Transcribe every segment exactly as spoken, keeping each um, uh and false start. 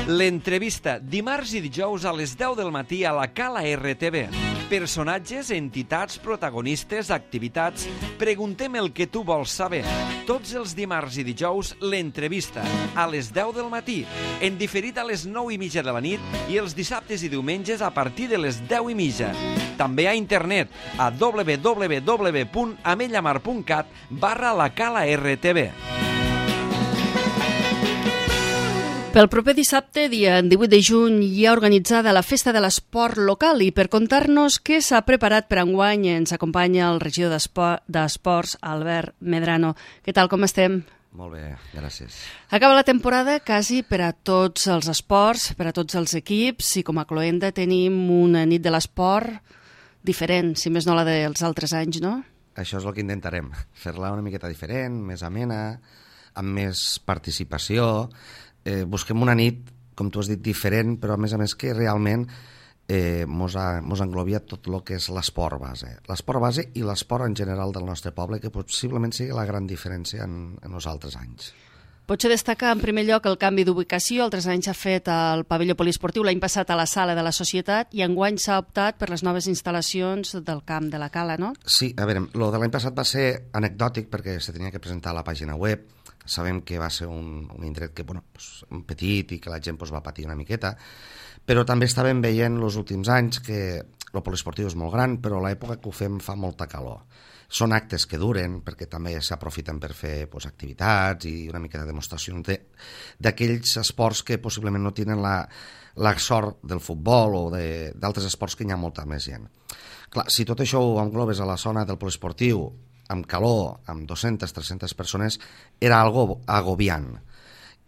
L'entrevista, dimarts i dijous a les deu del matí a la Cala R T V. Personatges, entitats, protagonistes, activitats... Preguntem el que tu vols saber. Tots els dimarts i dijous, l'entrevista, a les deu del matí, en diferit a les nou i mitja de la nit i els dissabtes i diumenges a partir de les deu i mitja. També a internet, a w w w punt amellamar punt cat barra la Cala R T V. Pel proper dissabte, dia divuit de juny, hi ha organitzada la Festa de l'Esport local i per contar-nos què s'ha preparat per enguany ens acompanya el regidor d'Esports, Albert Medrano. Què tal, com estem? Molt bé, gràcies. Acaba la temporada quasi per a tots els esports, per a tots els equips, i com a cloenda tenim una nit de l'esport diferent, si més no la dels altres anys, no? Això és el que intentarem, fer-la una miqueta diferent, més amena, amb més participació. Eh, busquem una nit, com tu has dit, diferent, però a més a més que realment eh, mos, ha, mos englobia tot el que és l'esport base. L'esport base i l'esport en general del nostre poble, que possiblement sigui la gran diferència en, en els altres anys. Potser destacar en primer lloc el canvi d'ubicació. Altres anys s'ha fet al pavelló poliesportiu, l'any passat a la sala de la Societat, i enguany s'ha optat per les noves instal·lacions del camp de la Cala, no? Sí, a veure, el de l'any passat va ser anecdòtic perquè se tenia que presentar a la pàgina web. Sabem que va ser un, un indret que, bueno, pues, petit i que la gent pues, va patir una miqueta, però també estàvem veient els últims anys que el poliesportiu és molt gran, però a l'època que ho fem fa molta calor. Són actes que duren, perquè també s'aprofiten per fer pues, activitats i una mica de demostracions d'aquells esports que possiblement no tenen la, la sort del futbol o d'altres esports que hi ha molta més gent. Clar, si tot això ho englobes a la zona del poliesportiu, amb calor, amb dues-centes, tres-centes persones, era algo agobiant.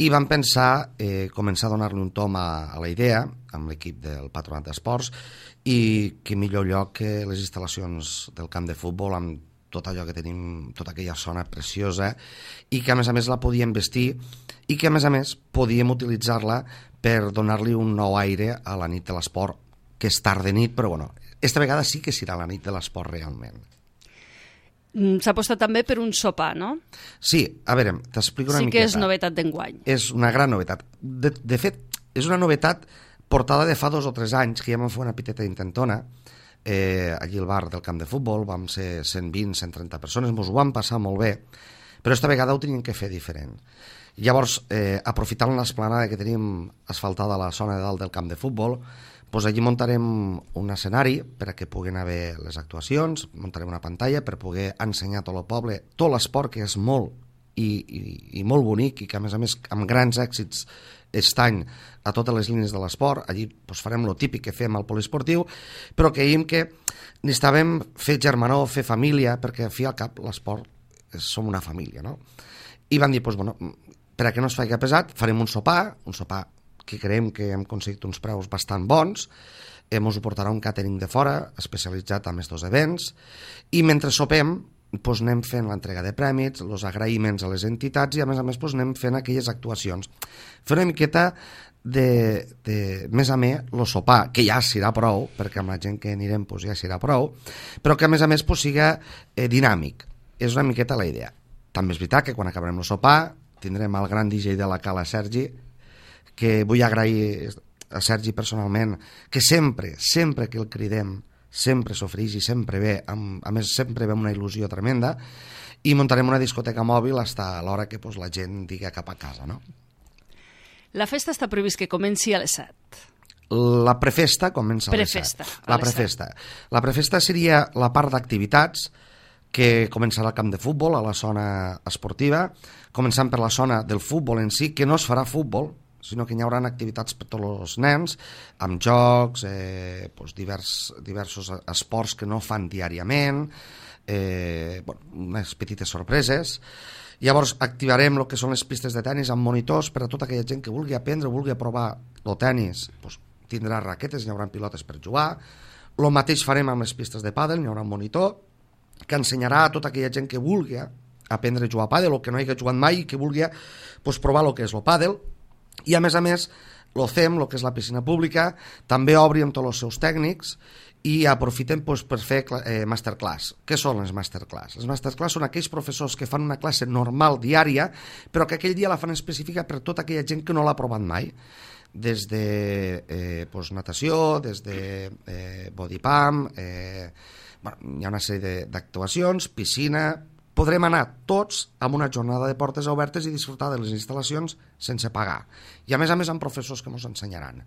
I vam pensar eh, començar a donar-li un tom a, a la idea, amb l'equip del Patronat d'Esports, i que millor lloc que les instal·lacions del camp de futbol, amb tot allò que tenim, tota aquella zona preciosa, i que a més a més la podíem vestir, i que a més a més podíem utilitzar-la per donar-li un nou aire a la nit de l'esport, que és tard de nit, però bueno, esta vegada sí que serà la nit de l'esport realment. S'ha apostat també per un sopar, no? Sí, a veure, t'explico una sí miqueta. Sí que és novetat d'enguany. És una gran novetat. De, de fet, és una novetat portada de fa dos o tres anys, que ja vam fer una piteta intentona, eh, allí al bar del camp de futbol, vam ser cent vint, cent trenta persones, ens ho vam passar molt bé, però esta vegada ho teníem que fer diferent. Llavors, eh, aprofitant l'esplanada que tenim asfaltada a la zona de dalt del camp de futbol, doncs allí muntarem un escenari per a que puguin haver les actuacions, muntarem una pantalla per poder ensenyar a tot el poble tot l'esport, que és molt i, i, i molt bonic i que a més a més amb grans èxits estany a totes les línies de l'esport. Allí doncs, farem el típic que fem al poliesportiu, però creiem que necessitàvem fer germanor, fer família, perquè al fi al cap l'esport és, som una família, no? I van dir, doncs, bueno, per a que no es faci pesat, farem un sopar, un sopar que creiem que hem aconseguit uns preus bastant bons, ens ho portarà un càtering de fora, especialitzat en aquests events, i mentre sopem doncs anem fent l'entrega de prèmits, els agraïments a les entitats i a més a més doncs anem fent aquelles actuacions. Fer una miqueta de, de més a més el sopar, que ja serà prou, perquè amb la gent que anirem doncs ja serà prou, però que a més a més doncs siga eh, dinàmic. És una miqueta la idea. També és veritat que quan acabarem el sopar tindrem el gran D J de la Cala, Sergi, que vull agrair a Sergi personalment, que sempre, sempre que el cridem, sempre s'ofereix i sempre ve, amb, a més sempre ve amb una il·lusió tremenda, i muntarem una discoteca mòbil fins a l'hora que pues, la gent digui cap a casa, no? La festa està previst que comenci a les set. La prefesta comença a les prefesta, set. La prefesta. La prefesta seria la part d'activitats que començarà al camp de futbol, a la zona esportiva, començant per la zona del futbol en si, que no es farà futbol, sinó que hi haurà activitats per tots els nens, amb jocs, eh, doncs divers, diversos esports que no fan diàriament, eh, bueno, unes petites sorpreses. Llavors activarem el que són les pistes de tennis amb monitors per a tota aquella gent que vulgui aprendre, vulgui provar el tennis, doncs tindrà raquetes, hi haurà pilotes per jugar. El mateix farem amb les pistes de pàdel, hi haurà un monitor que ensenyarà a tota aquella gent que vulgui aprendre a jugar a pàdel o que no hagi jugat mai i que vulgui doncs, provar el que és el pàdel. I a més a més, el C E M, el que és la piscina pública, també obri amb tots els seus tècnics i aprofitem doncs, per fer eh, masterclass. Què són les masterclass? Les masterclass són aquells professors que fan una classe normal diària, però que aquell dia la fan específica per tota aquella gent que no l'ha provat mai. des de eh, pues, natació, des de eh, body pump, eh, bueno, hi ha una sèrie d'actuacions, piscina. Podrem anar tots amb una jornada de portes obertes i disfrutar de les instal·lacions sense pagar. I a més a més amb professors que ens ensenyaran.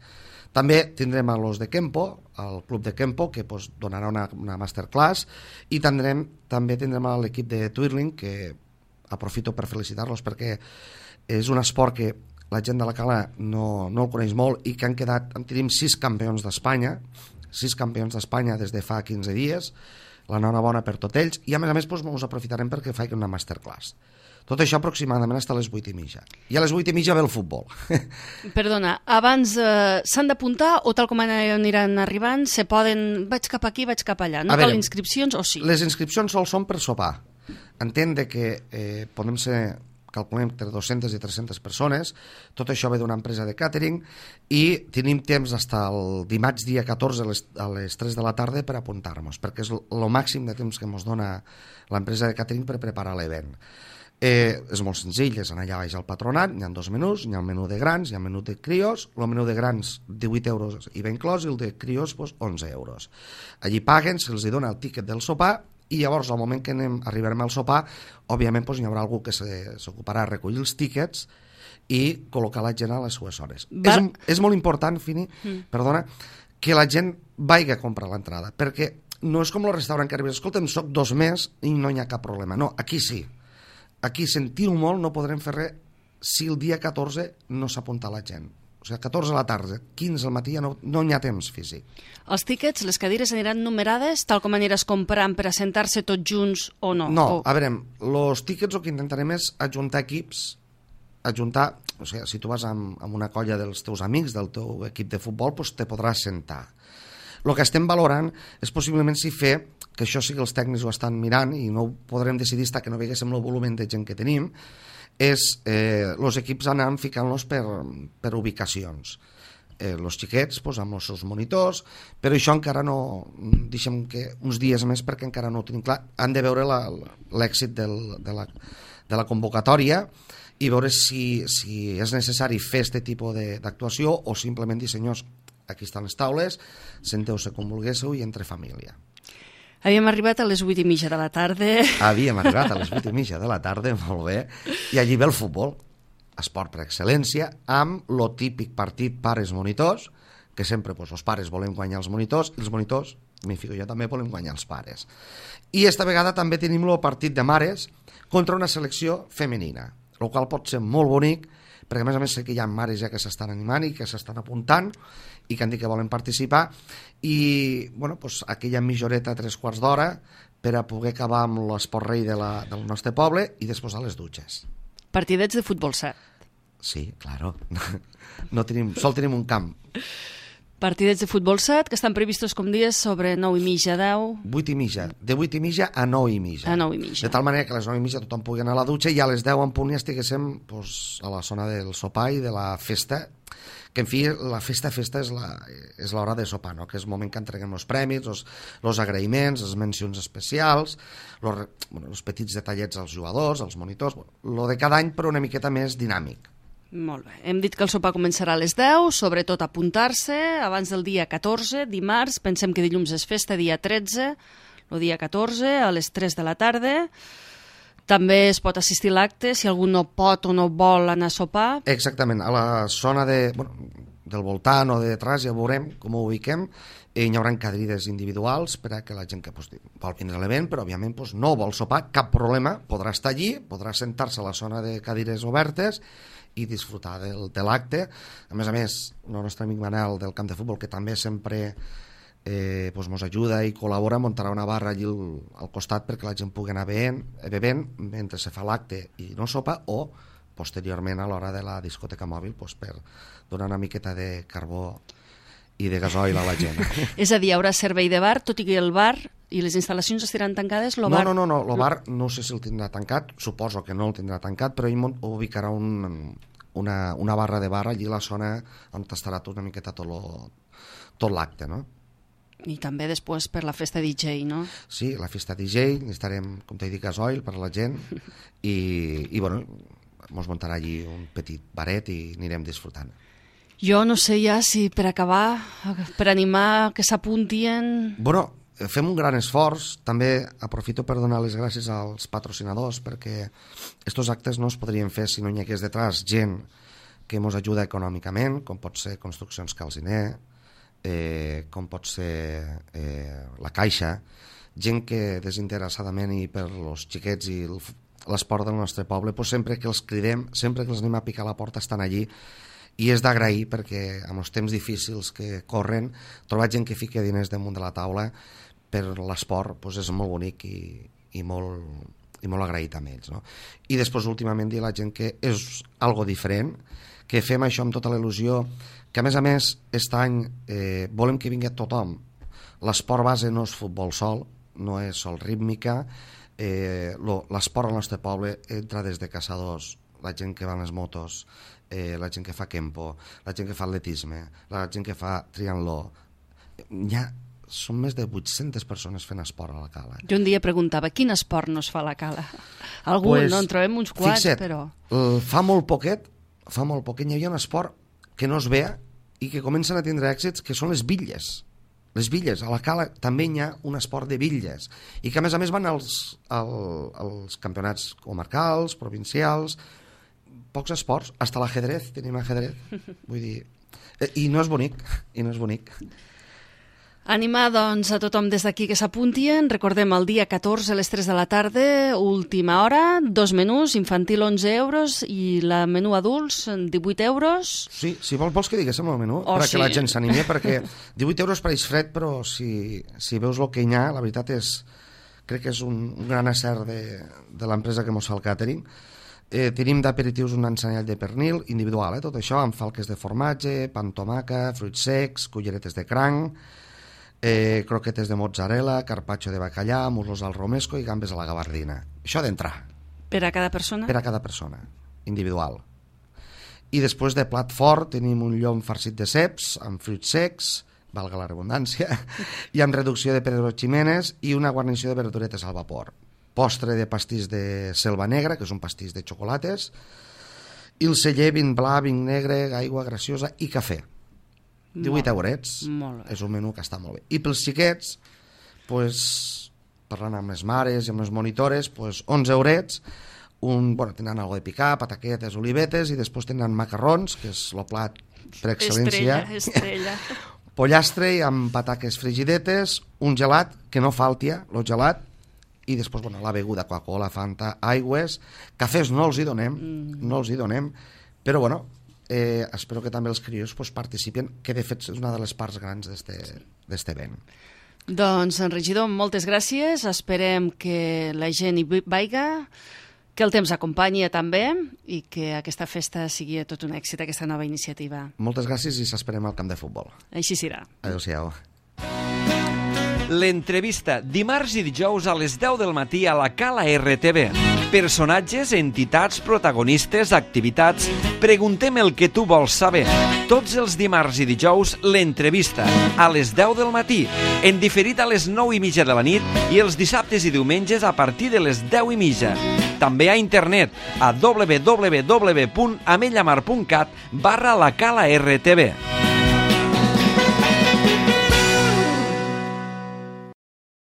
També tindrem a los de Kempo, el club de Kempo, que pues, donarà una, una masterclass, i tindrem, també tindrem l'equip de Twirling, que aprofito per felicitar-los perquè és un esport que la gent de la Cala no, no el coneix molt i que han quedat, en tenim sis campions d'Espanya, sis campions d'Espanya des de fa quinze dies, l'enhorabona per tots ells, i a més a més doncs, us aprofitarem perquè faig una masterclass. Tot això aproximadament fins a les vuit i mitja. I a les vuit i mitja ve el futbol. Perdona, abans eh, s'han d'apuntar o tal com aniran arribant, se poden, vaig cap aquí, vaig cap allà, no cal inscripcions o sí? Les inscripcions sols són per sopar. Entenc que eh, podem ser, calculem, entre dues-centes i tres-centes persones, tot això ve d'una empresa de càtering i tenim temps fins al dimarts dia catorze a les, a les tres de la tarda per apuntar-nos, perquè és el màxim de temps que ens dona l'empresa de càtering per preparar l'event. Eh, és molt senzill, és anar allà baix al patronat, hi ha dos menús, hi ha el menú de grans, hi ha el menú de crios, el menú de grans divuit euros i va inclòs, i el de crios doncs, onze euros. Allí paguen, se'ls dona el tíquet del sopar, i llavors al moment que anem, arribarem al sopar, òbviament doncs, hi haurà algú que s'ocuparà de recollir els tíquets i col·locar la gent a les seues hores. Va... És, és molt important, Fini, mm. perdona, que la gent vagi a comprar l'entrada, perquè no és com el restaurant que arribes, escolta'm, soc dos més i no hi ha cap problema. No, aquí sí. Aquí, sentiu molt, no podrem fer res si el dia catorze no s'apunta la gent. O sigui, catorze a la tarda, quinze al matí, ja no, no hi ha temps físic. Els tíquets, les cadires aniran numerades, tal com aniràs comprant per assentar-se tots junts o no? No, o... a veure, els tíquets el que intentarem és ajuntar equips, ajuntar, o sigui, si tu vas amb, amb una colla dels teus amics, del teu equip de futbol, doncs te podràs sentar. El que estem valorant és possiblement si fer, que això sí que els tècnics ho estan mirant i no ho podrem decidir fins que no veguéssim el volum de gent que tenim, és eh, els equips anant ficant-los per, per ubicacions. Eh, els xiquets pues, amb els seus monitors, però això encara no, deixem que uns dies més perquè encara no ho tenim clar. Han de veure l'èxit de, la, de la convocatòria i veure si, si és necessari fer aquest tipus d'actuació o simplement dir, senyors, aquí estan les taules, senteu-se com vulguéssiu i entre família. Havíem arribat a les vuit i mitja de la tarda. Havíem arribat a les vuit i mitja de la tarda, molt bé, i allí ve el futbol, esport per excel·lència, amb lo típic partit pares-monitors, que sempre doncs, els pares volem guanyar els monitors, i els monitors, m'hi fico jo també, volem guanyar els pares. I esta vegada també tenim el partit de mares contra una selecció femenina, el qual pot ser molt bonic, perquè a més a més sé que hi ha mares ja que s'estan animant i que s'estan apuntant i que han dit que volen participar i bueno, doncs, aquella mitjoreta tres quarts d'hora per a poder acabar amb l'esport rei de la, del nostre poble i després a les dutxes. Partidets de futbol set. Sí, claro. No tenim, sol tenim un camp. Partidets de futbol set que estan previstos com dies sobre nou i mitja, deu... vuit i mitja, de vuit i mitja a nou i mitja. A nou i mitja. De tal manera que a les nou i mitja tothom pugui anar a la dutxa i a les deu en punt ja estiguéssim pues, a la zona del sopar i de la festa, que en fi, la festa festa és la, és l'hora de sopar, no? Que és el moment que entreguem els premis, els, els agraïments, les mencions especials, els, bueno, els petits detallets als jugadors, als monitors, bueno, lo de cada any però una miqueta més dinàmic. Molt bé. Hem dit que el sopar començarà a les deu, sobretot apuntar-se abans del dia catorze, dimarts, pensem que dilluns és festa, dia tretze, el dia catorze, a les tres de la tarda. També es pot assistir a l'acte si algú no pot o no vol anar a sopar. Exactament, a la zona de, bueno, del voltant o de detrás ja veurem com ho ubiquem. Hi haurà cadires individuals per a que la gent que pues, vol vindre a l'event, però òbviament pues, no vol sopar, cap problema, podrà estar allí, podrà sentar-se a la zona de cadires obertes i disfrutar del, de l'acte. A més a més, el nostre amic Manel del camp de futbol, que també sempre eh, pues, mos ajuda i col·labora, muntarà una barra allí al, al costat perquè la gent pugui anar bevent, bevent mentre se fa l'acte i no sopa, o posteriorment a l'hora de la discoteca mòbil pues, per donar una miqueta de carbó i de gasoil a la gent. És a dir, hi haurà servei de bar, tot i que el bar i les instal·lacions estaran tancades? No, bar... no, no, no, el bar no sé si el tindrà tancat, suposo que no el tindrà tancat, però ell ubicarà un, una, una barra de bar allí a la zona on estarà tot una miqueta tot, lo, tot l'acte, no? I també després per la festa D J, no? Sí, la festa D J, necessitarem, com t'he dit, gasoil per a la gent i, i bueno, ens muntarà allí un petit baret i anirem disfrutant. Jo no sé ja si per acabar, per animar que s'apuntien... Bueno, fem un gran esforç. També aprofito per donar les gràcies als patrocinadors, perquè estos actes no es podrien fer si no hi hagués detrás gent que ens ajuda econòmicament, com pot ser Construccions Calziner, eh, com pot ser eh, la Caixa, gent que desinteressadament i per els xiquets i l'esport del nostre poble, pues sempre que els cridem, sempre que els anem a picar la porta estan allí, i és d'agrair perquè en els temps difícils que corren trobar gent que fica diners damunt de la taula per l'esport pues és molt bonic i, i, molt, i molt agraït amb ells, no? I després últimament dir a la gent que és algo diferent, que fem això amb tota la il·lusió, que a més a més aquest any eh, volem que vingui tothom. L'esport base no és futbol sol, no és sol rítmica, eh, l'esport al nostre poble entra des de caçadors, la gent que va en les motos, eh, la gent que fa kempo, la gent que fa atletisme, la gent que fa triatló. Hi ha, són més de vuit-centes persones fent esport a la Cala. Jo un dia preguntava, quin esport no es fa a la Cala? Algun, pues, no? En trobem uns quants, fixa't, però... Fa molt poquet, fa molt poquet, hi havia un esport que no es veia i que comencen a tindre èxits, que són les bitlles. Les bitlles, a la Cala també hi ha un esport de bitlles i que a més a més van als, als, als campionats comarcals, provincials, pocs esports, hasta l'ajedrez, tenim ajedrez, vull dir, i no és bonic, i no és bonic. Animar, doncs, a tothom des d'aquí que s'apuntien. Recordem, el dia catorze a les tres de la tarda, última hora, dos menús, infantil onze euros i la menú adults divuit euros. Sí, si vols, vols que diguéssim el menú, oh, perquè sí. La gent s'animi, perquè divuit euros pareix fred, però si, si veus el que hi ha, la veritat és, crec que és un, un gran acert de, de l'empresa que mos fa el càtering. Eh, tenim d'aperitius un ensenyall de pernil individual, eh, tot això, amb falques de formatge, pa amb tomaca, fruits secs, culleretes de cranc, eh, croquetes de mozzarella, carpaccio de bacallà, muslos al romesco i gambes a la gabardina. Això d'entrar. Per a cada persona? Per a cada persona, individual. I després de plat fort tenim un llom farcit de ceps, amb fruits secs, valga la redundància, i amb reducció de Pedro Ximénez i una guarnició de verduretes al vapor. Postre de pastís de selva negra, que és un pastís de xocolates, i el celler, vin blanc, vin negre, aigua graciosa i cafè. divuit eurets. És un menú que està molt bé. I pels xiquets, pues, parlant amb les mares i amb les monitores, pues, onze eurets, un, bueno, tenen algo de picar, pataquetes, olivetes, i després tenen macarrons, que és el plat per excel·lència. Estrella, estrella. Pollastre amb pataques frigidetes, un gelat, que no falti, el gelat, i després, bueno, la beguda, Coca-Cola, Fanta, aigües, cafès no els hi donem, mm. no els hi donem, però, bueno, eh, espero que també els crios pues, participin, que de fet és una de les parts grans d'este event. Doncs, regidor, moltes gràcies, esperem que la gent hi vaiga, que el temps acompanyi també i que aquesta festa sigui tot un èxit, aquesta nova iniciativa. Moltes gràcies i s'esperem al camp de futbol. Així serà. Adéu-siau. L'entrevista, dimarts i dijous a les deu del matí a la Cala R T V. Personatges, entitats, protagonistes, activitats... Preguntem el que tu vols saber. Tots els dimarts i dijous, l'entrevista, a les deu del matí, en diferit a les nou i mitja de la nit i els dissabtes i diumenges a partir de les deu i mitja. També a internet, a w w w punt amellamar punt cat barra la Cala R T V.